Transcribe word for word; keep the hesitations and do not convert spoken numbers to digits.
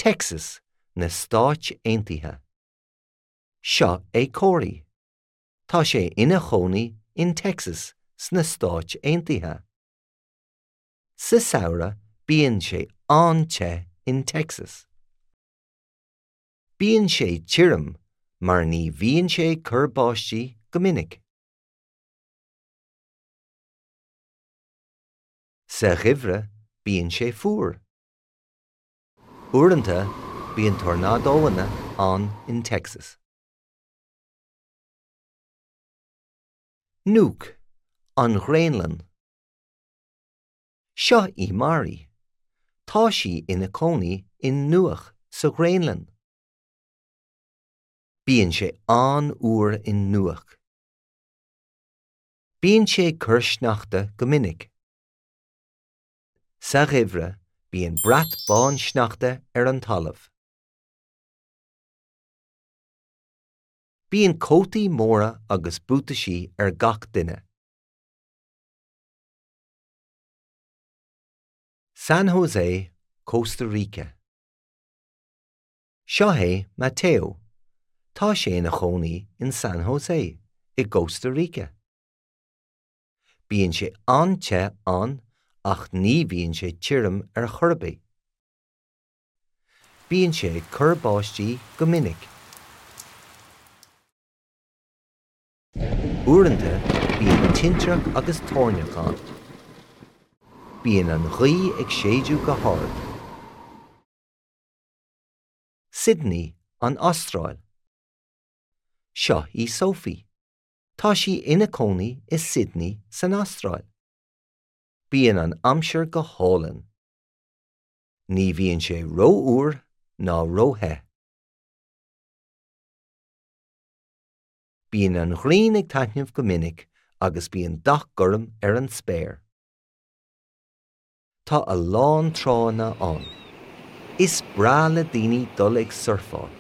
Texas, na Stáit Aontaithe. Seo é Corey. Tá sé ina chónaí in Texas sna Stáit Aontaithe. Sa samhradh bíonn sé an-te in Texas. Bíonn sé tirim mar ní bhíonn sé ag cur báistí go minic. Sa gheimhreadh bíonn sé fuar. Uaireanta bíonn tornádóanna ann in Texas. Nuuk, an Ghraonlainn. Seo í Mary. Tá sí ina cónaí in Nuuk sa Ghraonlainn. Bíonn sé an-fhuar in Nuuk. Bíonn sé ag cur sneachta go minic. Sa gheimhreadh bíonn brat bán sneachta ar an talamh. Bíonn cótaí móra agus buataisí ar gach duine. San Jose, Costa Rica. Seo é Mateo. Tá sé ina chónaí in San Jose, i gCosta Rica. Bíonn sé an-te ann ach ní bhíonn sé tirim ar chor ar bith. Bíonn sé ag cur báistí go minic. Uaireanta bíonn tintreach agus toirneach ann. Bíonn an ghaoth ag séideadh go hard. Sydney, an Astráil. Seo í Sophie. Tá sí ina cónaí i Sydney san Astráil. Bíonn an aimsir go hálainn. Ní bhíonn sé rófhuar ná róthe. Bíonn an ghrian ag taitneamh go minic agus bíonn dath gorm ar an spéir. Tá a lán tránna ann. Is breá le daoine dul ag surfáil.